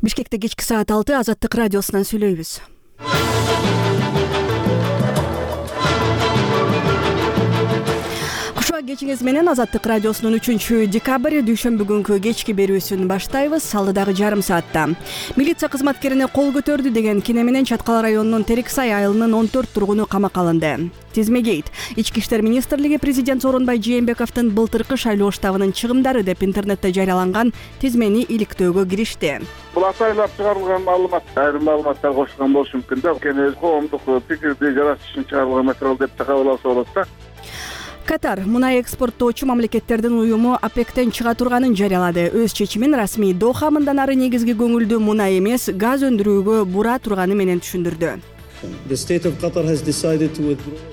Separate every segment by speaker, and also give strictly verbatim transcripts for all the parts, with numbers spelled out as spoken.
Speaker 1: Бишкекте кечки саат алты Азаттык радиосунан сүйлөйбүз. Кушуа кечиңиз менен Азаттык радиосунун үчүнчү декабрь дүйшөмбү күнкү кечки берүүсүн баштайбыз. Алдыдагы жарым саатта милиция кызматкерине кол көтөрдү деген кине менен Чаткал районунун Терексай айылынын он төрт тургуну камакка алынды. Тизмегейт. Ички иштер министрлиги президент Сооронбай Жээнбековдун былтыркы шайлоо штабынын чыгымдары деп интернетте жарыяланган тизмени иликтөөгө киришти.
Speaker 2: Бул атайлап чыгарылган маалымат, айрым маалыматтар кошулган болушу мүмкүн да. Кene коомдук пикирди жаратыш үчүн чыгарылган материал деп кабыл алса болот да.
Speaker 1: Катар мунай экспорттоочу мамлекеттердин уюму ОПЕКтен чыга турганын жарыялады. Өз чечимин расмий Доха мындан ары негизги көңүлдүү мунай эмес, газ өндүрүүгө бура турганы менен түшүндүрдү.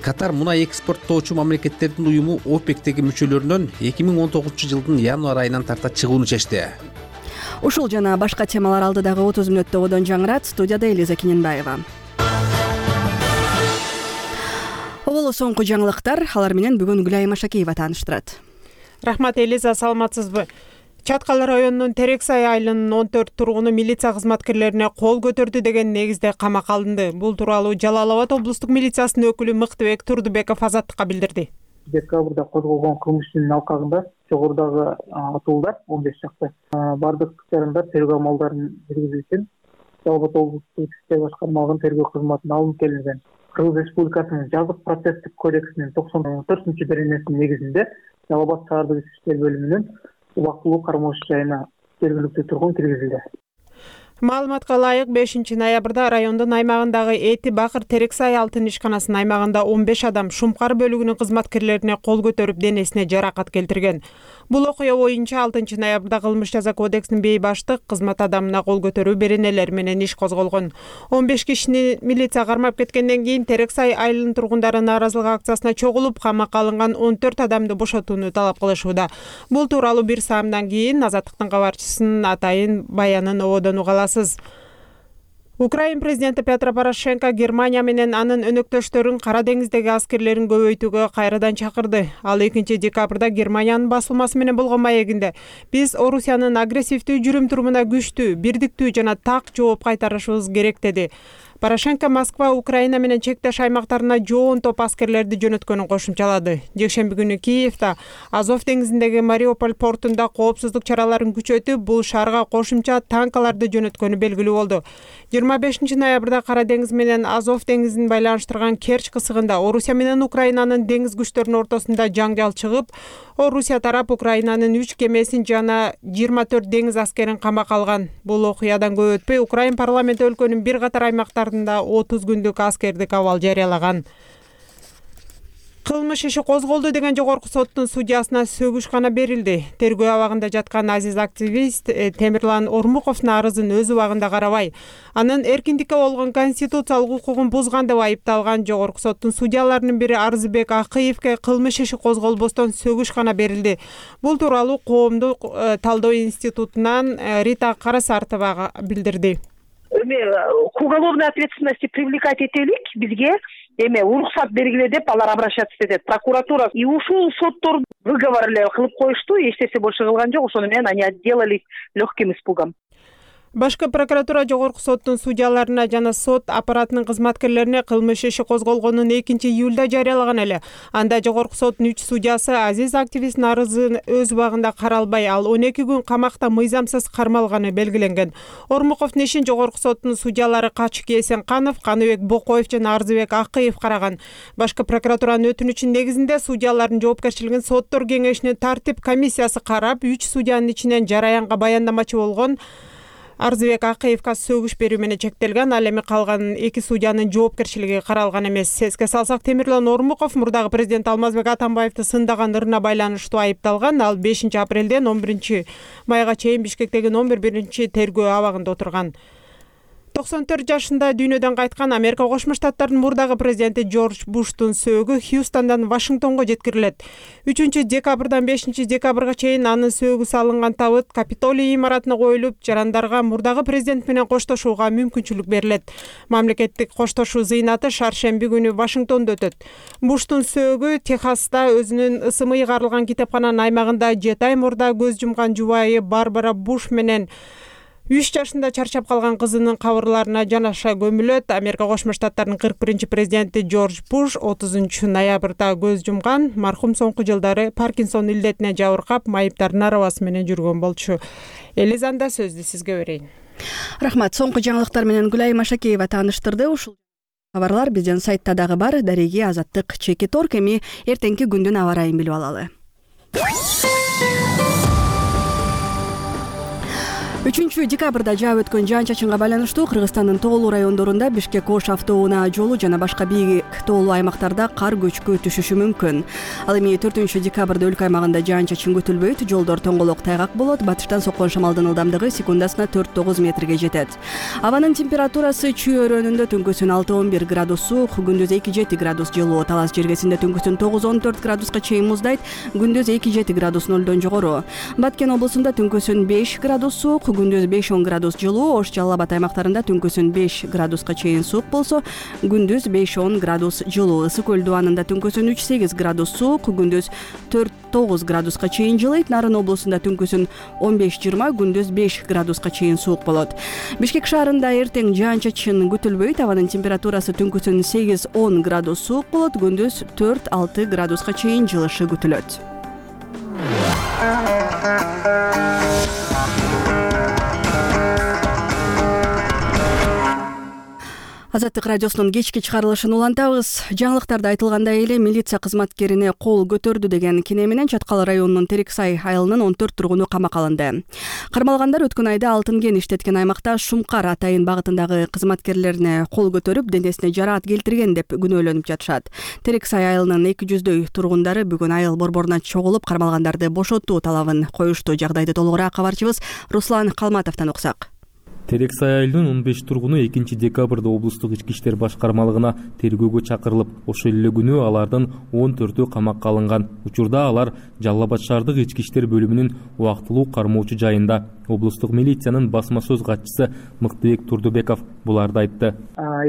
Speaker 3: Катар мунай экспорттоочу мамлекеттердин уюму ОПЕКтеги мүчөлөрүнөн эки миң он тогузунчу жылдын январь айынан тарта чыгууну чечти.
Speaker 1: Ушул жана башка темалар алдыдагы отуз мүнөттө одон жаңырат. Студияда Элиза Киненбаева. Оболо соңку жаңылыктар, алар менен бүгүн Гүлайым Ашакеева тааныштырат.
Speaker 4: Рахмат Элиза, саламатсызбы? Чаткал районунун Терексай айылынын он төрт тургуну милиция кызматкерлерине кол көтөрдү деген негизде камакка алынды. Бул тууралуу Жалал Абад облустук милициясынын өкүлү Мыктыбек Турдубеков Азаттыкка билдирди.
Speaker 5: Декабрда козголгон кылмыштын алкагында жогорудагы атуулдар он беш чакты бардык жарандар тергөө амалдарын жүргүзүү үчүн Жалал Абад облустук ички иштер башкармалыгынын тергөө кызматына алынып келинген. Кыргыз Республикасынын жазык процесстик кодексинин токсон төртүнчү беренесинин негизинде Жалал Абад шаардык ички иштер бөлүмүнүн убактылуу кармош жайына жергиликтүү тургун киргизилди.
Speaker 4: Маалыматка ылайык бешинчи ноябрда райондун аймагындагы Эти Бакыр Терексай алтын ишканасынын аймагында он беш адам Шумкар бөлүгүнүн кызматкерлерине кол көтөрүп денесине жаракат келтирген. Бул окуя боюнча алтынчы ноябрда кылмыш жаза кодексинин бей баштык кызмат адамына кол көтөрүү беренелери менен иш козголгон. он беш кишини милиция кармап кеткенден кийин Терексай айылынын тургундары нааразылык акциясына чогулуп, камакка алынган он төрт адамды бошотууну талап кылышууда. Бул тууралуу бир саамдан кийин Азаттыктын кабарчысынын атайын баянын ободон угала. Украин президенти Петро Порошенко Германия менен анын өнөктөштөрүн Кара деңиздеги аскерлерин көбөйтүүгө кайрадан чакырды. Ал экинчи декабрда Германиянын басылмасы менен болгон маегинде биз Орусиянын агрессивдүү жүрүм-турумуна күчтүү, бирдиктүү жана так жооп кайтарышыбыз керек деди. Порошенко Москва, Украина менен чектеш аймактарына жоон топ аскерлерди жөнөткөнүн кошумчалады. Жекшемби күнү Киевде Азов деңизиндеги Мариуполь портунда коопсуздук чараларын күчөтүп, бул шаарга кошумча танкаларды жөнөткөнү белгилүү болду. жыйырма бешинчи ноябрда Кара деңиз менен Азов деңизин байланыштырган Керчь кысыгында Орусия менен Украинанын деңиз күчтөрүнүн ортосунда жаңжал чыгып, Орусия тарап Украинанын үч кемесин жана жыйырма төрт деңиз аскерин камакка алган. Бул окуядан көп өтпөй Украин парламенти өлкөнүн бир катар аймактарында отуз күндүк аскердик абал жарыялаган. Кылмыш иши козголду деген жогорку соттун судьясына сөгүш гана берилди. Тергөө абагында жаткан азиз активист Темирлан Ормуковдун арызын өз убагында карабай, анын эркиндикке болгон конституциялык укугун бузган деп айыпталган жогорку соттун судьяларынын бири Арзыбек Акыевке кылмыш иши козголбостон сөгүш гана берилди. Бул тууралуу Коомдук талдоо институтунан Рита Карасартова билдирди.
Speaker 6: Эме к уголовной ответственности привлекать этелик бизге эме уруксат бергиле деп алар обращаться этет. Прокуратура и ушул соттор выговор эле кылып коюшту, эч нерсе больше кылган жок. Ошону менен они отделались легким испугом.
Speaker 4: Башкы прокуратура жогорку соттун судьяларына жана сот аппаратынын кызматкерлерине кылмыш иши козголгонун экинчи июлда жарыялаган эле. Анда жогорку соттун үч судьясы азиз активисттин арызын өз убагында каралбай, ал он эки күн камакта мыйзамсыз кармалганы белгиленген. Ормуковдун ишин жогорку соттун судьялары Качык Эсенканов, Каныбек Бокоев жана Арзыбек Акыев караган. Башкы прокуратуранын өтүнүчүнүн негизинде судьялардын жоопкерчилигин соттор кеңешинин тартип комиссиясы карап, үч судьянын ичинен жараянга баяндамачы болгон Арзыбек Акыевка сөгүш берүү менен чектелген. Ал эми калган эки судьянын жоопкерчилиги каралган эмес. Эске салсак, Темирлан Ормуков мурдагы президент Алмазбек Атамбаевди сындаган ырына байланыштуу айыпталган. Ал бешинчи апрелден он биринчи майга чейин Бишкектеги номер биринчи тергөө абагында отурган. токсон төрт жашында дүйнөдөн кайткан Америка Кошмо Штаттарынын мурдагы президенти Джордж Буштун сөөгү Хьюстондан Вашингтонго жеткирилет. үчүнчү декабрдан бешинчи декабрга чейин анын сөөгү салынган табыт Капитолий имаратына коюлуп, жарандарга мурдагы президент менен коштошууга мүмкүнчүлүк берилет. Мамлекеттик коштошуу зыйнаты шаршемби күнү Вашингтондо өтөт. Буштун сөөгү Техаста өзүнүн ысымы ыйгарылган китепкананын аймагында жети ай мурда көз жумган жубайы Барбара Буш менен үч жашында чарчап калган кызынын кабырларына жанаша көмүлөт. Америка Кошмо Штаттарынын кырк биринчи президенти Джордж Буш отузунчу ноябрда көз жумган. Мархум соңку жылдары Паркинсон илдетине жабыркап, майыптардын арабасы менен жүргөн болчу. Элизанда сөздү сизге берейин.
Speaker 1: Рахмат. Соңку жаңылыктар менен Гүлай Машакеева тааныштырды. Ушул кабарлар биздин сайтта дагы бар. Дареги Азаттык чеки торк. Эми эртеңки күндүн аба ырайын билип алалы. үчүнчү декабрда жаап өткөн жаан-чачынга байланыштуу Кыргызстандын тоолуу райондорунда Бишкек-Ош автоунаа жолу жана башка бийик тоолуу аймактарда кар көчкү түшүшү мүмкүн. Ал эми төртүнчү декабрда өлкө аймагында жаан-чачын күтүлбөйт. Жолдор тоңголок тайгак болот. Батыштан соккон шамалдын ылдамдыгы секундасына төрт тогуз метрге жетет. Абанын температурасы Чүй өрөөнүндө түнкүсүн алты он бир градус суук, күндүз эки жети градус жылуу. Талас жергесинде түнкүсүн тогуз он төрт градуска чейин муздайт, күндүз эки жети градус нолдон жогору. Баткен облусунда түнкүсүн беш градус суук, күндүз беш он градус жылуу. Ош Жалал Абад аймактарында түнкүсүн беш градуска чейин суук болсо, күндүз беш он градус жылуу. Ысык көл дубанында түнкүсүн үч сегиз градус суук, күндүз төрт тогуз градуска чейин жылыйт. Нарын облусунда түнкүсүн он беш жыйырма, күндүз беш градуска чейин суук болот. Бишкек шаарында эртең жаан-чачын күтүлбөйт. Абанын температурасы түнкүсүн сегиз он градус суук болот, күндүз төрт алты градуска чейин жылышы күтүлөт. Азаттык радиосунун кечки чыгарылышын улантабыз. Жаңылыктарда айтылгандай эле милиция кызматкерине кол көтөрдү деген кине менен Чаткал районунун Терексай айылынын он төрт тургуну камакка алынды. Кармалгандар өткөн айда алтын кен иштеткен аймакта Шумкар Атайын багытындагы кызматкерлерине кол көтөрүп, денесине жараат келтирген деп күнөөлөнүп жатышат. Терексай айылынын эки жүздөй тургундары бүгүн айыл борборуна чогулуп, кармалгандарды бошотуу талабын коюшту. Жагдайды толугураак кабарчыбыз Руслан Калматовдон уксак.
Speaker 7: Терексай айылынын он беш тургуну экинчи декабрда облустук ички иштер башкармалыгына тергөөгө чакырылып, ошол эле күнү алардын он төртөө камакка алынган. Учурда алар Жалал Абад шаардык ички иштер бөлүмүнүн убактылуу кармоочу жайында. Облустук милициянын басма сөз катчысы Мыктыбек Турдубеков буларды айтты.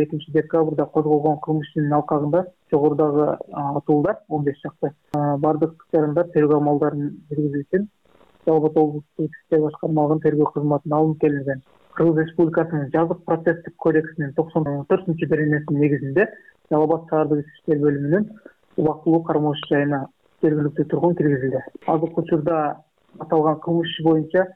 Speaker 5: экинчи декабрда козголгон кылмыш ишинин алкагында жогорудагы атуулдар он беш чакты бардык жарандар тергөө амалдарын жүргүзүү үчүн Жалал Абад облустук ички иштер башкармалыгынын тергөө кызматына алынып келинген. Кыргыз Республикасынын жазык процесстик кодексинин токсон төртүнчү беренесинин негизинде Жалал Абад шаардык ички иштер бөлүмүнүн убактылуу кармоочу жайына жергиликтүү тургун киргизилди. Азыркы учурда аталган кылмыш иши боюнча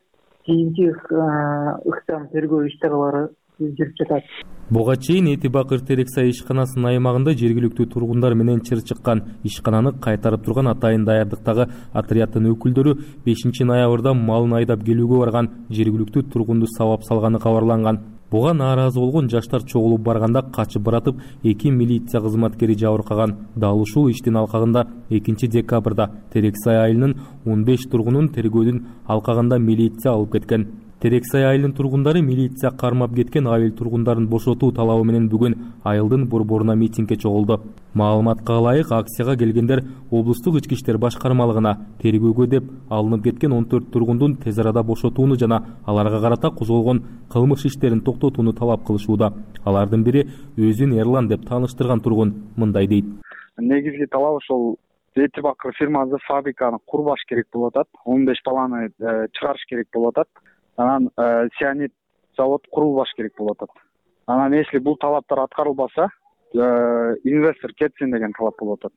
Speaker 5: кийинки ыктам тергөө иш-чаралары жүрүп жатат.
Speaker 7: Буга чейин Эти Бакыр Терексай ишканасынын аймагында жергиликтүү тургундар менен чыр чыккан. Ишкананы кайтарып турган Атайын даярдыктагы отряддын өкүлдөрү бешинчи ноябрда малын айдап келүүгө барган жергиликтүү тургунду сабап салганы кабарланган. Буга нааразы болгон жаштар чогулуп барганда качып баратып, эки милиция кызматкери жабыркаган. Дал ушул иштин алкагында экинчи декабрда Терексай айылынын он беш тургунун тергөөдүн алкагында милиция алып кеткен. Терексай айылынын тургундары милиция кармап кеткен айыл тургундарын бошотуу талабы менен бүгүн айылдын борборуна митингге чогулду. Маалыматка ылайык, акцияга келгендер облустук ички иштер башкармалыгына тергөөгө деп алынып кеткен он төрт тургундун тез арада бошотууну жана аларга карата козголгон кылмыш иштерин токтотууну талап кылышууда. Алардын бири өзүн Эрлан деп тааныштырган тургун мындай дейт.
Speaker 8: Негизги талап ошол Эти Бакыр фирмасы фабриканы курбаш керек болуп атат. он беш баланы чыгарыш керек болуп атат. Анан сианид завод курулбаш керек болуп атат. Анан если бул талаптар аткарылбаса, инвестор кетсин деген талап болуп атат.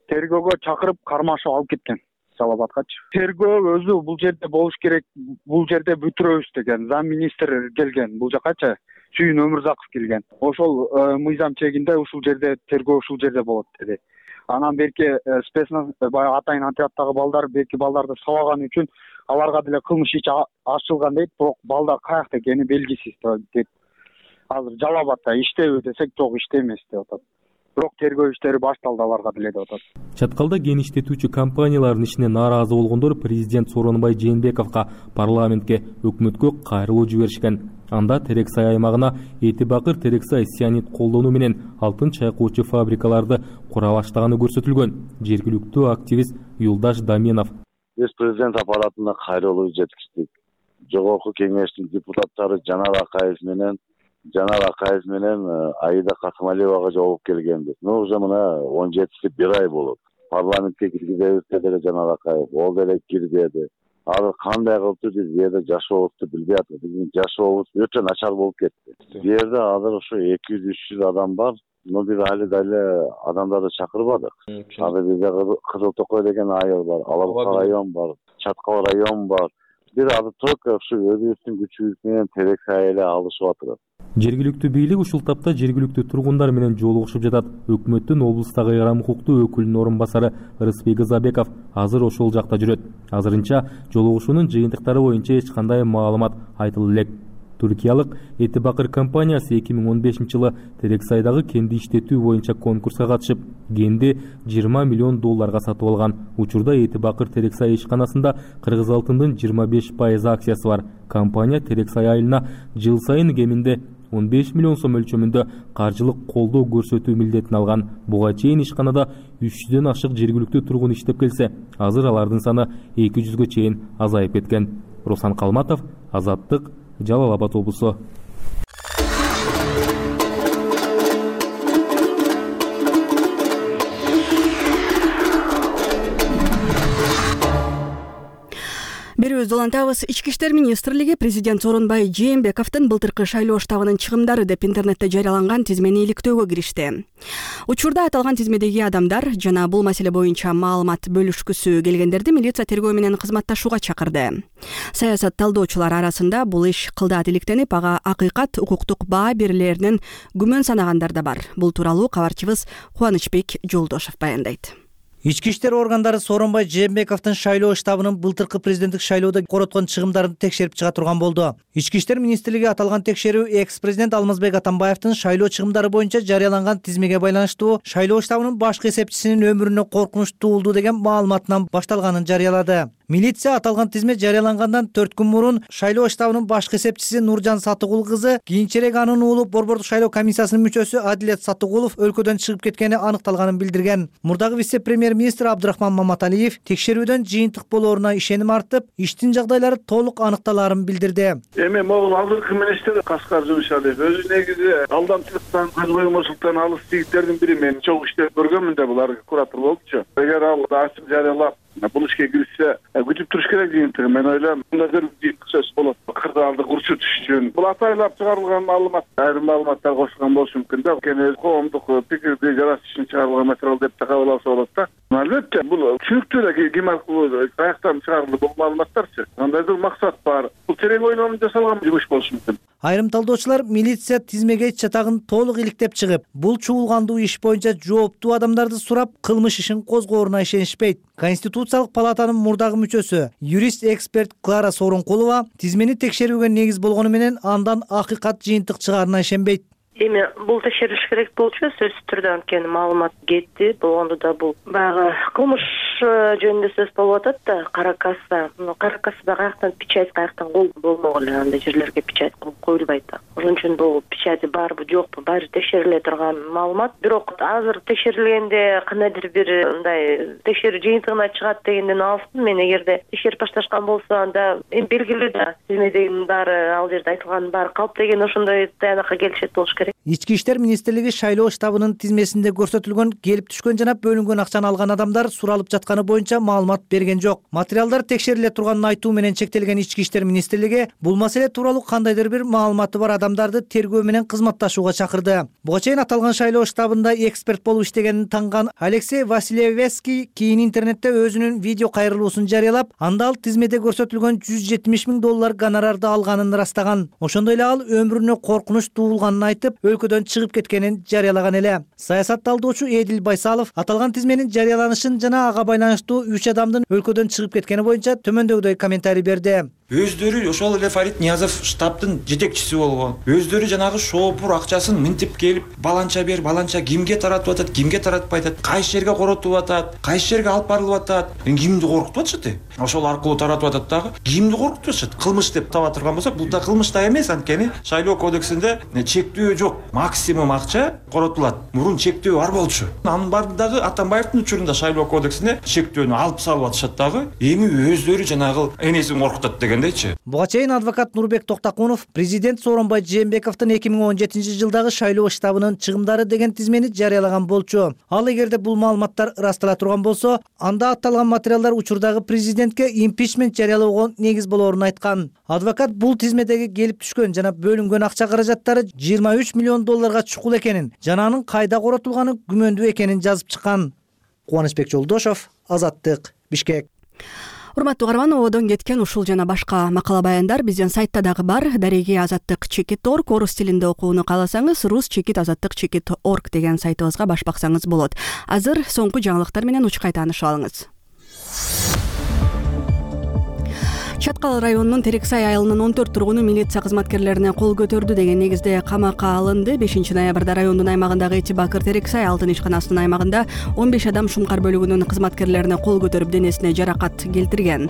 Speaker 8: Тергөөгө чакырып кармашып алып кеткен Жалал Абадкачы. Тергөө өзү бул жерде болуш керек, бул жерде бүтүрөбүз деген зам министр келген бул жакачы. Сүйүн Өмүрзаков келген. Ошол мыйзам чегинде ушул жерде тергөө ушул жерде болот деди. Анан берки спецназ баягы Атайын отряддагы балдар берки балдарды сабаган үчүн аларга деле кылмыш иш ачылган дейт, бирок балдар каякта экени белгисиз дейт. Азыр Жалал Абадда иштейби десек, жок иштемес деп атат. Бирок тергөө иштери башталды аларга деле деп атат.
Speaker 7: Чаткалда кен иштетүүчү компаниялардын ишине нааразы болгондор президент Сооронбай Жээнбековго парламентке өкмөткө кайрылуу жиберишкен. Анда Терексай аймагына Эти Бакыр Терексай сианид колдонуу менен алтын чайкоочу фабрикаларды кура баштаганы көрсөтүлгөн. Жергиликтүү активист Юлдаш Доменов:
Speaker 9: Биз президент аппаратына кайрылуу жеткиздик. Жогорку кеңештин депутаттары Жанар Акаев менен Жанар Акаев менен Аида Касымалиевага жолугуп келгенбиз. Ну уже мына он жетиси бир ай болот. Парламентке киргизебиз деди Жанар Акаев, ол деле кирбеди. азыр кандай кылыптыр биз бул жерде жашообузду билбей атабыз. Биздин жашообуз өтө начар болуп кетти. Бул жерде азыр ошо эки жүз үч жүз адам бар. Но биз али дале адамдарды чакырбадык. Азыр бизде Кызыл Токой деген айыл бар, Алабука район бар, Чаткал район бар. Бир азыр только ушу өзүбүздүн күчүбүз менен Терексай эле алышып атырат.
Speaker 7: Жергиликтүү бийлик ушул тапта жергиликтүү тургундар менен жолугушуп жатат. Өкмөттүн облустагы ыйрам укуктуу өкүлүнүн орун басары Рыспек Ызабеков азыр ошол жакта жүрөт. Азырынча жолугушуунун жыйынтыктары боюнча эч кандай маалымат айтылып элек. Түркиялык Эти Бакыр компаниясы эки миң он бешинчи жылы Терексайдагы кенди иштетүү боюнча конкурска катышып, кенди жыйырма миллион долларга сатып алган. Учурда Эти Бакыр Терексай ишканасында Кыргыз алтындын жыйырма беш пайыз акциясы бар. Компания Терексай айылына жыл сайын кеминде он беш миллион сом өлчөмүндө каржылык колдоо көрсөтүү милдетин алган. Буга чейин ишканада үч жүздөн ашык жергиликтүү тургун иштеп келсе, азыр алардын саны эки жүзгө чейин азайып кеткен. Руслан Калматов, Азаттык, Жалал Абад облусу.
Speaker 1: Берүүбүздү улантабыз. Ички иштер министрлиги президент Сооронбай Жээнбековдун былтыркы шайлоо штабынын чыгымдары деп интернетте жарыяланган тизмени иликтөөгө киришти. Учурда аталган тизмедеги адамдар жана бул маселе боюнча маалымат бөлүшкүсү келгендерди милиция тергөө менен кызматташууга чакырды. Саясат талдоочулар арасында бул иш кылдаат иликтенип, ага акыйкат укуктук баа берилеринен күмөн санагандар да бар. Бул тууралуу кабарчыбыз Кубанычбек Жолдошов баяндайт.
Speaker 10: Ички иштер органдары Сооронбай Жээнбековдун шайлоо штабынын былтыркы президенттик шайлоодо короткон чыгымдарын текшерип чыга турган болду. Ички иштер министрлиги аталган текшерүү экс-президент Алмазбек Атамбаевдин шайлоо чыгымдары боюнча жарыяланган тизмеге байланыштуу шайлоо штабынын башкы эсепчисинин өмүрүнө коркунуч туулду деген маалыматынан башталганын жарыялады. Милиция аталган тизме жарыялангандан төрт күн мурун шайлоо штабынын башкы эсепчиси Нуржан Сатыгул кызы, кийинчерээк анын уулу Борбордук шайлоо комиссиясынын мүчөсү Адилет Сатыгулов өлкөдөн чыгып кеткени аныкталганын билдирген. Мурдагы вице-премьер-министр Абдрахман Маматалиев текшерүүдөн жыйынтык болооруна ишеним артып, иштин жагдайлары толук аныкталаарын билдирди.
Speaker 2: Эми могул алдыңкы министр Каскар Жумшалиев өзү негизи алдамчылыктан, көз коюмчулуктан алыс жигиттердин бири. Мен чогуу иштеп көргөнмүн да, булар куратор болчу. Эгер ал ачык жарыялап бул ишке киришсе, күтүп туруш керек жыйынтыгы. Мен ойлойм, мындай жыйынтык сөз болот. Кырдаалды курчутуш үчүн. Бул атайлап чыгарылган маалымат, айрым маалыматтар кошулган болушу мүмкүн да. Кene коомдук пикирди жаратыш үчүн чыгарылган материал деп да кабыл алса болот да. Албетте, бул түшүнүктүү эле ким аркылуу каяктан чыгарылды бул маалыматтарчы. Кандайдыр максат бар. Бул терең ойлонуп жасалган жумуш болушу мүмкүн.
Speaker 10: Айрым талдоочулар милиция тизмеге чатагын толук иликтеп чыгып, бул чуулгандуу иш боюнча жооптуу адамдарды сурап, кылмыш ишин козгооруна ишенишпейт. Конституциялык палатанын мурдагы мүчөсү, юрист-эксперт Клара Сооронкулова тизмени текшерүүгө негиз болгону менен андан акыйкат жыйынтык чыгаарына ишенбейт.
Speaker 11: Эми бул текшерилиш керек болчу, сөзсүз түрдө, анткени маалымат кетти. Болгондо да бул баягы кылмыш жөнүндө сөз болуп атат да, кара касса. Кара кассада каяктан печать, каяктан кол болмок эле, андай жерлерге печать коюлбайт да. Ошон үчүн бул печати барбы, жокпу, баары текшериле турган маалымат. Бирок азыр текшерилгенде кандайдыр бир мындай текшерүү жыйынтыгына чыгат дегенден алыстым. Мен эгерде текшерип башташкан болсо, анда эми белгилүү да, тизмедегинин баары, ал жерде айтылганын баары калп деген ошондой таянакка келишет болуш керек.
Speaker 10: Ички иштер министрлиги шайлоо штабынын тизмесинде көрсөтүлгөн келип түшкөн жана бөлүнгөн акчаны алган адамдар суралып жатканы боюнча маалымат берген жок. Материалдар текшериле турганын айтуу менен чектелген Ички иштер министрлиги бул маселе тууралуу кандайдыр бир маалыматы бар адамдарды тергөө менен кызматташууга чакырды. Буга чейин аталган шайлоо штабында эксперт болуп иштегенин танган Алексей Василевский кийин интернетте өзүнүн видео кайрылуусун жарыялап, анда ал тизмеде көрсөтүлгөн жүз жетимиш миң доллар гонорарды алганын ырастаган. Ошондой эле ал өмүрүнө коркунуч туулганын айтып, өлкөдөн чыгып кеткенин жарыялаган эле. Саясат талдоочу Эдил Байсалов аталган тизменин жарыяланышын жана ага байланыштуу үч адамдын өлкөдөн чыгып кеткени боюнча төмөндөгүдөй комментарий берди.
Speaker 12: Өздөрү ошол эле Фарид Ниязов штабтын жетекчиси болгон. Өздөрү жанагы шоопур акчасын мынтип келип, баланча бер, баланча кимге таратып атат, кимге таратпай атат, кайсы жерге коротуп атат, кайсы жерге алып барылып атат, кимди коркутуп атышат э? Ошол аркылуу таратып атат дагы. Кимди коркутуп атышат? Кылмыш деп таба турган болсок, бул да кылмыш да эмес, анткени шайлоо кодексинде чектөө жок. Максимум акча коротулат. Мурун чектөө бар болчу. Анын бардыгы Атамбаевдин учурунда шайлоо кодексине чектөөнү алып салып атышат дагы. Эми өздөрү жанагы энесин коркутат деген.
Speaker 10: Буга чейин адвокат Нурбек Токтакунов президент Сооронбай Жээнбековдун эки миң он жетинчи жылдагы шайлоо штабынын чыгымдары деген тизмени жарыялаган болчу. Ал эгерде бул маалыматтар ырастала турган болсо, анда атталган материалдар учурдагы президент президентке импичмент жарыялоого негиз болоорун айткан. Адвокат бул тизмедеги келип түшкөн жана бөлүнгөн акча каражаттары жыйырма үч миллион долларга чукул экенин жана анын кайда коротулганы күмөндүү экенин жазып чыккан. Кубанычбек Жолдошов, Азаттык, Бишкек.
Speaker 1: Урматтуу каарман, ободон кеткен ушул жана башка макала баяндар биздин сайтта дагы бар. Дареги азаттык чекит точка орг. Орус тилинде окууну кааласаңыз рус чекит азаттык чекит точка орг деген сайтыбызга баш баксаңыз болот. Азыр соңку жаңылыктар менен учкай таанышып алыңыз. Чаткал районунун Терексай айылынын он төрт тургуну милиция кызматкерлерине кол көтөрдү деген негизде камакка алынды. бешинчи ноябрда райондун аймагындагы Эти Бакыр Терексай алтын ишканасынын аймагында он беш адам Шумкар бөлүгүнүн кызматкерлерине кол көтөрүп денесине жаракат келтирген.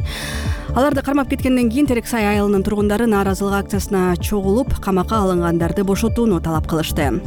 Speaker 1: Аларды кармап кеткенден кийин Терексай айылынын тургундары нааразылык акциясына чогулуп, камакка алынгандарды бошотууну талап кылышты.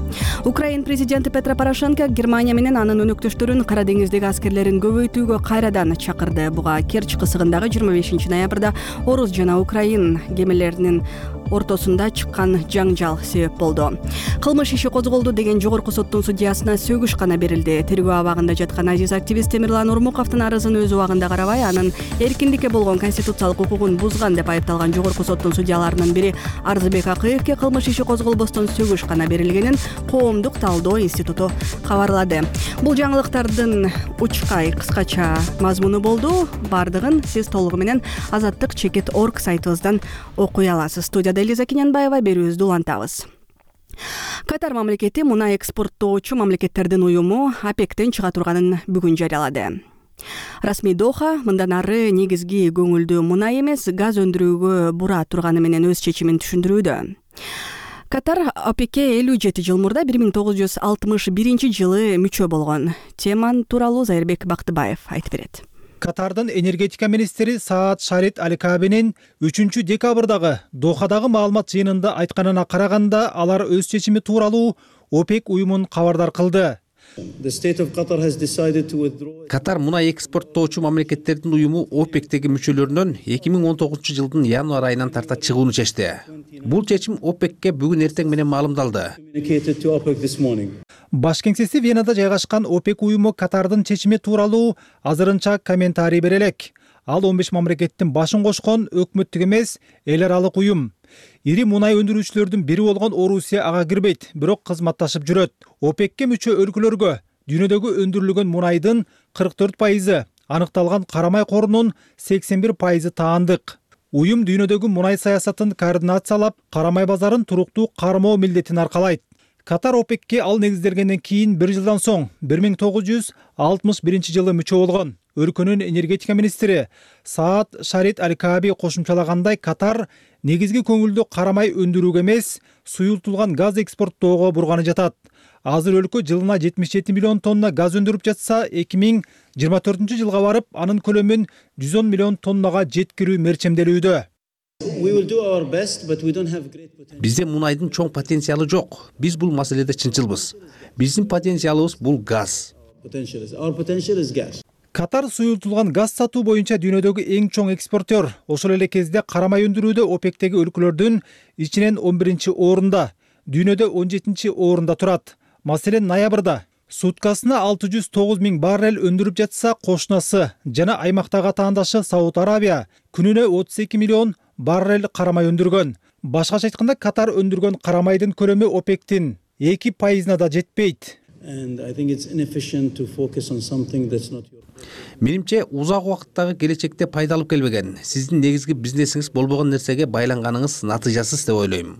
Speaker 1: Украин президенти Петро Порошенко Германия менен анын өнөктөштөрүн Кара деңиздеги аскерлерин көбөйтүүгө кайрадан чакырды. Буга Керчь кысыгындагы жыйырма бешинчи ноябрда Орус жана Украин кемелеринин ортосунда чыккан жаңжал себеп болду. Кылмыш иши козголду деген жогорку соттун судьясына сөгүш гана берилди. Тергөө абагында жаткан азиз активист Темирлан Урмуковдун арызын өз убагында карабай, анын эркиндикке болгон конституциялык укугун бузган деп айыпталган жогорку соттун судьяларынын бири Арзыбек Акыевке кылмыш иши козголбостон сөгүш гана берилгенин Коомдук талдоо институту кабарлады. Бул жаңылыктардын учкай кыскача мазмуну болду. Бардыгын сиз толугу менен азаттык чекит точка орг сайтыбыздан окуй аласыз. Студияда Элиза Кинянбаева, берүүбүздү улантабыз. Катар мамлекети мунай экспорттоочу мамлекеттердин уюму ОПЕКтен чыга турганын бүгүн жарыялады. Расмий Доха мындан ары негизги көңүлдүү мунай эмес, газ өндүрүүгө бура турганы менен өз чечимин түшүндүрүүдө. Катар ОПЕКке элүү жети жыл мурда бир миң тогуз жүз алтымыш биринчи жылы мүчө болгон. Теман тууралуу Зайырбек Бактыбаев айтып берет.
Speaker 13: Катардын энергетика министри Саад Шарит Аликабинин үчүнчү декабрдагы Дохадагы маалымат жыйынында айтканына караганда, алар өз чечими тууралуу ОПЕК уюмун кабардар кылды.
Speaker 3: Катар мунай экспорттоочу мамлекеттердин уюму ОПЕКтеги мүчөлөрүнөн эки миң он тогузунчу жылдын январь айынан тарта чыгууну чечти. Бул чечим ОПЕКке бүгүн эртең менен маалымдалды.
Speaker 13: Баш кеңсеси Венада жайгашкан ОПЕК уюму Катардын чечими тууралуу азырынча комментарий бере элек. Ал он беш мамлекеттин башын кошкон өкмөттүк эмес, эл аралык уюм. Ири мунай өндүрүүчүлөрдүн бири болгон Орусия ага кирбейт, бирок кызматташып жүрөт. ОПЕКке мүчө өлкөлөргө дүйнөдөгү өндүрүлгөн мунайдын кырк төрт пайызы, аныкталган карамай корунун сексен бир пайызы таандык. Уюм дүйнөдөгү мунай саясатын координациялап, карамай базарын туруктуу кармоо милдетин аркалайт. Катар ОПЕКке ал негизделгенден кийин бир жылдан соң бир миң тогуз жүз алтымыш биринчи жылы мүчө болгон. Өлкөнүн энергетика министри Саад Шарит Аликаби кошумчалагандай, Катар негизги көңүлдү карамай өндүрүүгө эмес, суюлтулган газ экспорттоого бурганы жатат. Азыр өлкө жылына жетимиш жети миллион тонна газ өндүрүп жатса, эки миң жыйырма төртүнчү жылга барып, анын көлөмүн жүз он миллион тоннага жеткирүү мерчемделүүдө.
Speaker 3: Бизде мунайдын чоң потенциалы жок. Биз бул маселеде чынчылбыз. Биздин потенциалыбыз бул газ.
Speaker 13: Катар суюлтулган газ сатуу боюнча дүйнөдөгү эң чоң экспортер. Ошол эле кезде карамай өндүрүүдө ОПЕКтеги өлкөлөрдүн ичинен он биринчи орунда, дүйнөдө он жетинчи орунда турат. Маселен, ноябрда суткасына алты жүз тогуз миң баррель өндүрүп жатса, кошунасы жана аймактагы атаандашы Сауд Арабия күнүнө отуз эки миллион баррель карамай өндүргөн. Башкача айтканда, Катар өндүргөн карамайдын көлөмү ОПЕКтин эки пайызына да жетпейт.
Speaker 3: Менимче, узак убакыттагы келечекте пайдалып келбеген, сиздин негизги бизнесиңиз болбогон нерсеге байланганыңыз натыйжасыз деп ойлойм.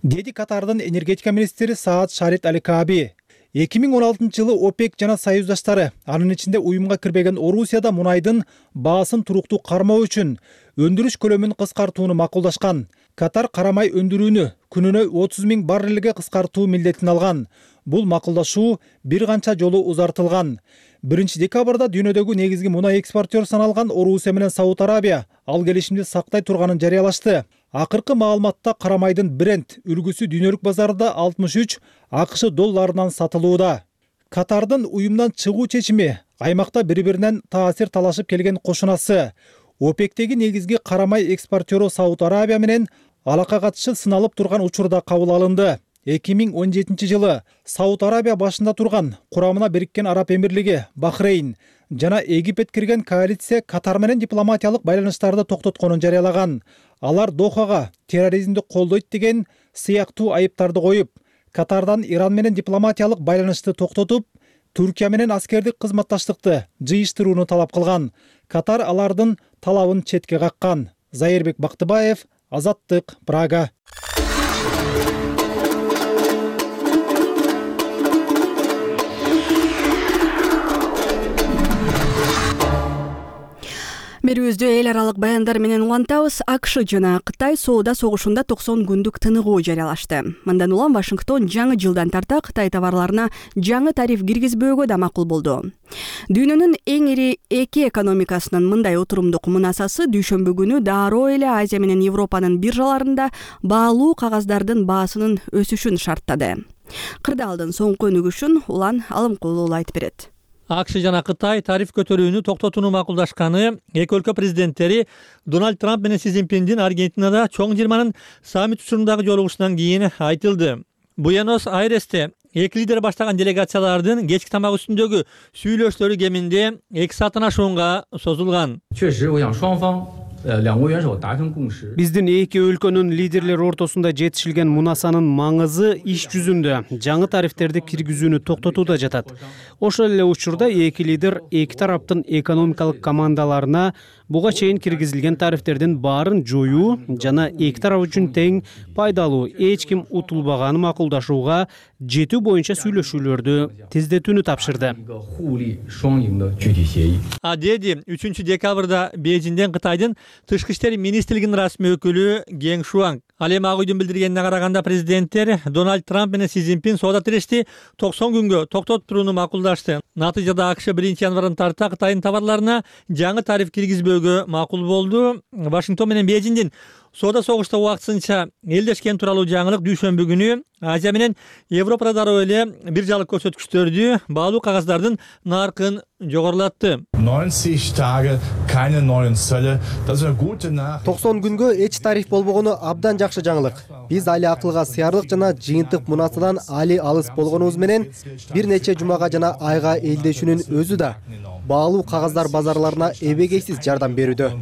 Speaker 13: Деди Катардын энергетика министри Саад Шарит Аликаби. эки миң он алтынчы жылы ОПЕК жана союздаштары, анын ичинде уюмга кирбеген Орусияда мунайдын баасын туруктуу кармоо үчүн өндүрүш көлөмүн кыскартууну макулдашкан. Катар карамай өндүрүүнү күнүнө отуз миң баррелге кыскартуу милдетин алган. Бул макулдашуу бир канча жолу узартылган. биринчи декабрда дүйнөдөгү негизги мунай экспортер саналган Орусия менен Сауд Арабия ал келишимди сактай турганын жарыялашты. Акыркы маалыматта карамайдын бренд үлгүсү дүйнөлүк базарда алтымыш үч АКШ долларынан сатылууда. Катардын уюмдан чыгуу чечими аймакта бири-биринен таасир талашып келген кошунасы. ОПЕКтеги негизги карамай экспортеру Сауд Арабия менен алака катышы сыналып турган учурда кабыл алынды. эки миң он жетинчи жылы Сауд Арабия башында турган курамына Бириккен Араб Эмирлиги, Бахрейн жана Египет кирген коалиция Катар менен дипломатиялык байланыштарды токтотконун жарыялаган. Алар Дохага терроризмди колдойт деген сыяктуу айыптарды коюп, Катардан Иран менен дипломатиялык байланышты токтотуп, Түркия менен аскердик кызматташтыкты жыйыштырууну талап кылган. Катар алардын талабын четке каккан. Зайырбек Бактыбаев, Азаттык, Прага.
Speaker 1: Берүүбүздү эл аралык баяндар менен улантабыз. АКШ жана Кытай соода согушунда токсон күндүк тыныгуу жарыялашты. Мындан улам Вашингтон жаңы жылдан тарта Кытай товарларына жаңы тариф киргизбөөгө да макул болду. Дүйнөнүн эң ири эки экономикасынын мындай отурумдук мунасасы дүйшөмбү күнү дароо эле Азия менен Европанын биржаларында баалуу кагаздардын баасынын өсүшүн шарттады. Кырдаалдын соңку өнүгүшүн Улан Алымкулуу айтып берет.
Speaker 14: АКШ жана Кытай тариф көтөрүүнү токтотууну макулдашканы эки өлкө президенттери Дональд Трамп менен Си Цзиньпиндин Аргентинада чоң жыйырманын саммит учурундагы жолугушунан кийин айтылды. Буэнос-Айресте эки лидер баштаган делегациялардын кечки тамак үстүндөгү сүйлөшүүлөрү кеминде эки сааттан ашуунга созулган.
Speaker 15: Биздин эки өлкөнүн лидерлери ортосунда жетишилген мунасанын маңызы иш жүзүндө жаңы тарифтерди киргизүүнү токтотууда жатат. Ошол эле учурда эки лидер эки тараптын экономикалык командаларына буга чейин киргизилген тарифтердин баарын жоюу жана эки тарап үчүн тең пайдалуу, эч ким утулбаганын макулдашууга жетүү боюнча сүйлөшүүлөрдү тездетүүнү тапшырды.
Speaker 14: А деди үчүнчү декабрда Бейжиңден Кытайдын Тышкы иштер министрлигинин расмий өкүлү Гeng Шуанг. Ал эми Ак үйдүн билдиргенине караганда президенттер Дональд Трамп менен Си Цзиньпин соода тирешти токсон күнгө токтотуп турууну макулдашты. Натыйжада АКШ биринчи январдан тарта Кытайдын товарларына жаңы тариф киргизбөөгө макул болду. Вашингтон менен Бейжиңдин соода согушта убактысынча элдешкен тууралуу жаңылык дүйшөмбү күнү Азия менен Европада дароо эле биржалык көрсөткүчтөрдү, баалуу кагаздардын наркын жогорулатты.
Speaker 16: токсон күнгө эч тариф болбогону абдан жакшы жаңылык. Биз али акылга сыярлык жана жыйынтык мунасадан али алыс болгонубуз менен бир нече жумага жана айга элдешүүнүн өзү да баалуу кагаздар базарларына эбегейсиз жардам берүүдө.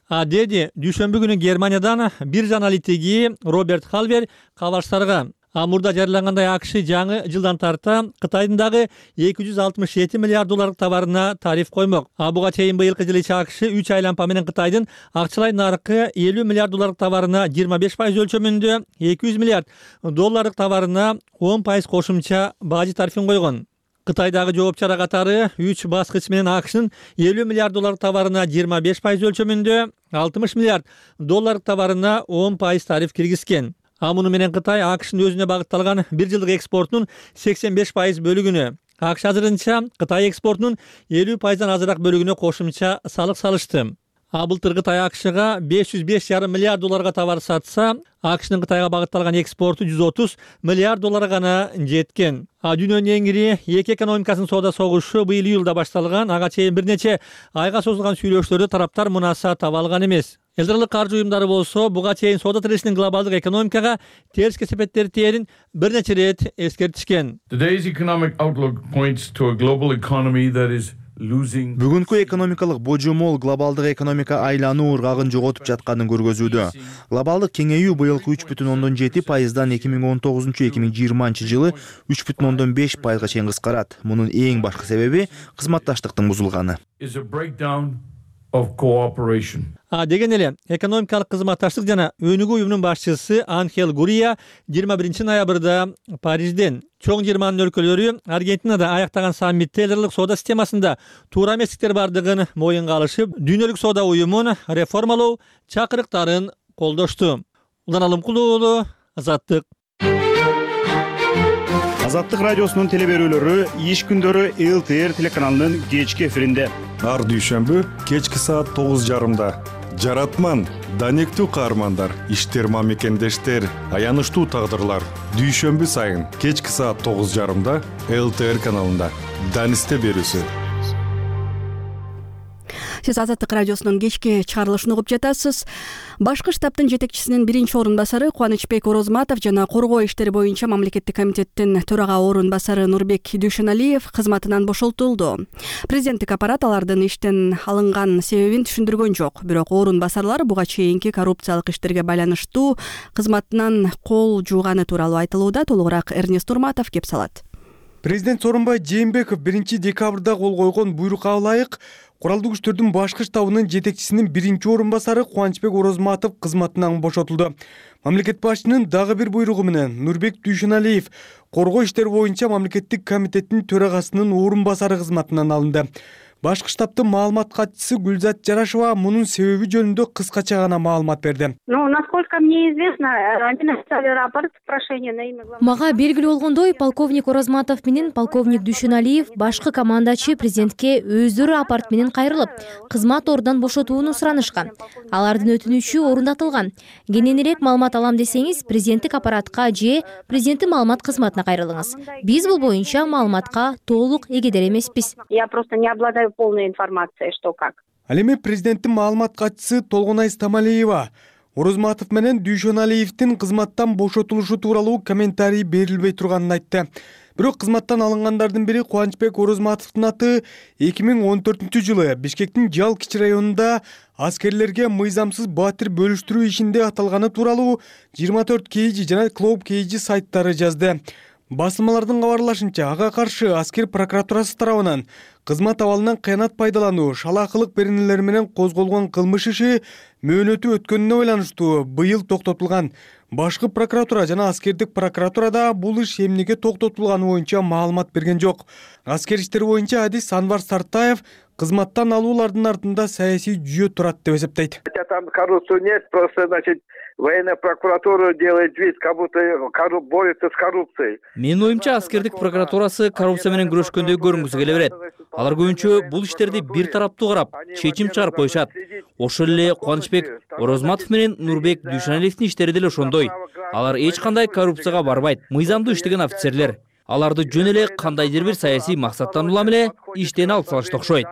Speaker 14: А деди дүйшөмбү күнү Германиядан биржа аналитиги Роберт Халвер кабарчыларга Амурда жарыялангандай АКШ жаңы жылдан тарта Кытайдын дагы эки жүз алтымыш жети миллиард долларлык товарына тариф коймок. А буга чейин быйылкы жылы ичи АКШ үч айлампа менен Кытайдын акчалай наркы элүү миллиард долларлык товарына жыйырма беш пайыз өлчөмүндө, эки жүз миллиард долларлык товарына он пайыз кошумча бажы тарифин койгон. Кытайдагы жооп чара катары үч баскыч менен АКШнын элүү миллиард долларлык товарына жыйырма беш пайыз өлчөмүндө, алтымыш миллиард долларлык товарына он пайыз тариф киргизген. А муну менен Кытай АКШнын өзүнө багытталган бир жылдык экспортунун сексен беш пайыз бөлүгүнө, АКШ азырынча Кытай экспортунун элүү пайыздан азыраак бөлүгүнө кошумча салык салышты. А былтыр Кытай АКШга беш жүз беш жарым миллиард долларга товар сатса, АКШнын Кытайга багытталган экспорту жүз отуз миллиард долларга гана жеткен. А дүйнөнүн эң ири эки экономикасынын соода согушу быйыл июлда башталган. Ага чейин бир нече айга созулган сүйлөшүүлөрдө тараптар мунаса таба алган эмес. Эл аралык каржы уюмдары болсо буга чейин соода тирешинин глобалдык экономикага терс кесепеттери тээрин бир нече ирет эскертишкен.
Speaker 17: Бүгүнкү экономикалык божомол глобалдык экономика айлануу ыргагын жоготуп жатканын көргөзүүдө. Глобалдык кеңейүү быйылкы үч бүтүн ондон жети пайыздан эки миң он тогузунчу эки миң жыйырманчы жылы үч бүтүн ондон беш пайызга чейин кыскарат. Мунун эң башкы себеби кызматташтыктын бузулганы.
Speaker 14: А деген эле экономикалык кызматташтык жана өнүгүү уюмунун башчысы Анхел Гурия жыйырма биринчи ноябрда Парижден чоң жыйырманын өлкөлөрү Аргентинада аяктаган саммитте эл аралык соода системасында туура эместиктер бардыгын моюнга алышып, дүйнөлүк соода уюмун реформалоо чакырыктарын колдошту. Улан Алымкулуу уулу, Азаттык.
Speaker 18: Азаттык радиосунун телеберүүлөрү иш күндөрү эл ти эр телеканалынын кечки эфиринде.
Speaker 19: Ар дүйшөмбү кечки саат тогуз жарымда. Жаратман, данектүү каармандар, иштер мамекендештер, аянычтуу тагдырлар. Дүйшөмбү сайын кечки саат тогуз жарымда эл ти эр каналында. Данисте берүүсү.
Speaker 1: Сиз Азаттык радиосунун кечки чыгарылышын угуп жатасыз. Башкы штабтын жетекчисинин биринчи орун басары Кубанычбек Орозматов жана коргоо иштери боюнча мамлекеттик комитеттин төрага орун басары Нурбек Дүйшөналиев кызматынан бошолтулду. Президенттик аппарат алардын иштен алынган себебин түшүндүргөн жок. Бирок орун басарлар буга чейинки коррупциялык иштерге байланыштуу кызматынан кол жууганы тууралуу айтылууда. Толугураак Эрнест Урматов кеп салат.
Speaker 20: Президент Сооронбай Жээнбеков биринчи декабрда кол койгон буйрукка ылайык куралдуу күчтөрдүн башкы штабынын жетекчисинин биринчи орун басары Кубанычбек Орозматов кызматынан бошотулду. Мамлекет башчынын дагы бир буйругу менен Нурбек Дүйшөналиев коргоо иштери боюнча мамлекеттик комитеттин төрагасынын орун басары кызматынан алынды. Башкы штабтын маалымат катчысы Гүлзат Жарашева мунун себеби жөнүндө кыскача гана маалымат берди.
Speaker 21: Ну, насколько мне известно, они написали рапорт прошение на имя главы.
Speaker 22: Мага белгилүү болгондой, полковник Орозматов менен полковник Дүйшөналиев башкы командачы президентке өздөрү аппарат менен кайрылып, кызмат ордунан бошотууну суранышкан. Алардын өтүнүчү орундатылган. Кененирээк маалымат алам десеңиз, президенттик аппаратка же президенттин маалымат кызматына кайрылыңыз. Биз бул боюнча маалыматка толук эгедер эмеспиз.
Speaker 21: Я просто не обладаю полной информацией, что как.
Speaker 20: Ал эми президенттин маалымат катчысы Толгонай Стамалиева Орозматов менен Дүйшөналиевдин кызматтан бошотулушу тууралуу комментарий берилбей турганын айтты. Бирок кызматтан алынгандардын бири Кубанычбек Орозматовдун аты эки миң он төртүнчү жылы Бишкектин Жал кичи районунда аскерлерге мыйзамсыз батир бөлүштүрүү ишинде аталганы тууралуу жыйырма төрт кей жи жана Клоуп кей жи сайттары жазды. Басылмалардын кабарлашынча, ага каршы аскер прокуратурасы тарабынан кызмат абалынан кыянат пайдалануу, шалаакылык беренелер менен козголгон кылмыш иши мөөнөтү өткөнүнө байланыштуу быйыл токтотулган. Башкы прокуратура жана аскердик прокуратурада бул иш эмнеге токтотулганы боюнча маалымат берген жок. Аскер иштери боюнча адис Анвар Сартаев кызматтан алуулардын артында саясий жүйө турат деп эсептейт.
Speaker 23: Там коррупции нет, просто, значит, военная прокуратура делает вид, как будто борется с коррупцией.
Speaker 24: Менин оюмча, аскердик прокуратурасы коррупция менен күрөшкөндөй көрүнгүсү келе берет. Алар көбүнчө бул иштерди бир тараптуу карап, чечим чыгарып коюшат. Ошол эле Кубанычбек Орозматов менен Нурбек Дүйшөналиевдин иштери деле ошондой. Алар эч кандай коррупцияга барбайт. Мыйзамдуу иштеген офицерлер. Аларды жөн эле кандайдыр бир саясий максаттан улам эле иштен алып салышты окшойт.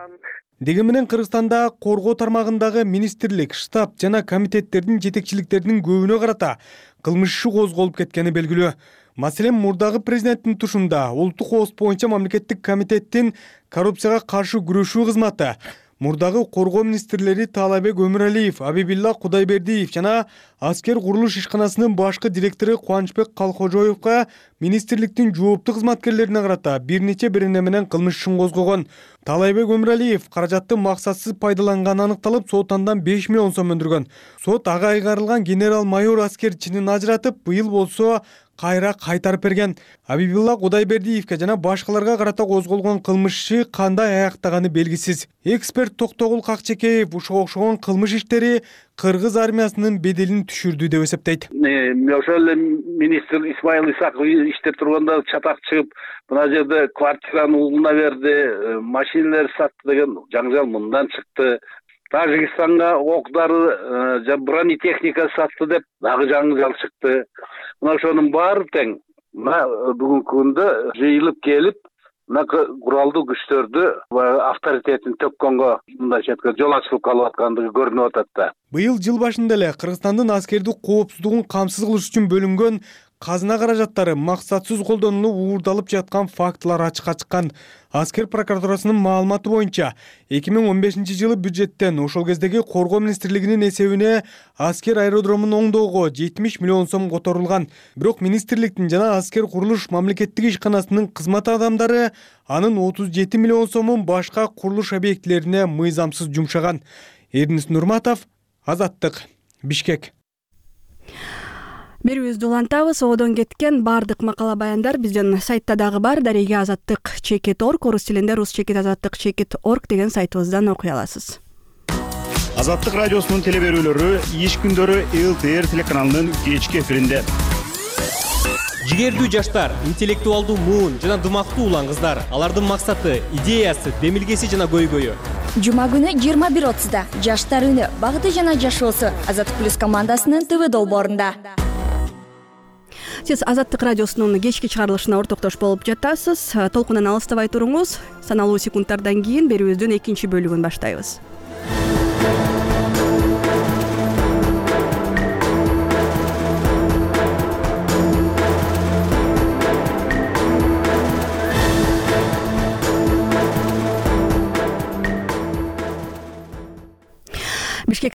Speaker 20: Деги менен Кыргызстанда коргоо тармагындагы министрлик, штаб жана комитеттердин жетекчиликтеринин көбүнө карата кылмыш иши козголуп кеткени белгилүү. Маселен, мурдагы президенттин тушунда улуттук ооз боюнча мамлекеттик комитеттин коррупцияга каршы күрөшүү кызматы, мурдагы коргоо министрлери Таалайбек Өмүралиев, Абибилла Кудайбердиев жана аскер курулуш ишканасынын башкы директору Кубанычбек Калкожоевго министрликтин жооптуу кызматкерлерине карата бир нече берене менен кылмыш ишин козгогон. Таалайбек Өмүралиев каражатты максатсыз пайдаланганы аныкталып, сот андан беш миллион сом өндүргөн. Сот ага айгарылган генерал-майор аскер чинин ажыратып, быйыл болсо кайра кайтарып берген. Абибилла Кудайбердиевке жана башкаларга карата козголгон кылмыш иши кандай аяктаганы белгисиз. Эксперт Токтогул Какчекеев ушуга окшогон кылмыш иштери Кыргыз армиясынын беделин түшүрдү деп эсептейт.
Speaker 23: Ошол эле министр Исмаил Исаков иштеп турганда чатак чыгып, мына жерде квартираны угуна берди, машиналар сатты деген жаңжал мындан чыкты. Тажикстанга оқ-дары, бронетехника сатты деп дагы жаңжал чыкты. Мына ошонун баары тең мына бүгүнкү күндө жыйылып келип, мына куралдуу күчтөрдү авторитетин төккөнгө мындайча айтканда жол ачылып калып аткандыгы көрүнүп атат да.
Speaker 20: Быйыл жыл башында эле Кыргызстандын аскердик коопсуздугун камсыз кылыш үчүн бөлүнгөн казына каражаттары максатсыз колдонулуп уурдалып жаткан фактылар ачыкка чыккан. Аскер прокуратурасынын маалыматы боюнча эки миң он бешинчи жылы бюджеттен ошол кездеги коргоо министрлигинин эсебине аскер аэродромун оңдоого жетимиш миллион сом которулган. Бирок министрликтин жана аскер курулуш мамлекеттик ишканасынын кызмат адамдары анын отуз жети миллион сомун башка курулуш объектилерине мыйзамсыз жумшаган. Эрнест Нурматов, Азаттык, Бишкек.
Speaker 1: Берүүбүздү улантабыз. Одон кеткен бардык макала баяндар биздин сайтта дагы бар. Дареге азаттык чекит орг, орус тилинде рус чекит азаттык чекит орг деген сайтыбыздан окуй аласыз.
Speaker 18: Азаттык радиосунун телеберүүлөрү иш күндөрү эл тэ эр телеканалынын кечки эфиринде.
Speaker 25: Жигердүү жаштар, интеллектуалдуу муун жана дымактуу улан кыздар. Алардын максаты, идеясы, демилгеси жана көйгөйү.
Speaker 26: Жума күнү жыйырма бир отузда жаштар үнү, багыты жана жашоосу Азаттык плюс командасынын ТВ долбоорунда.
Speaker 1: Сиз Азаттык радиосунун кечки чыгарылышына ортоктош болуп жатасыз. Толкунан алыстабай туруңуз. Саналуу секундтардан кийин берүүбүздүн экинчи бөлүгүн баштайбыз.
Speaker 4: М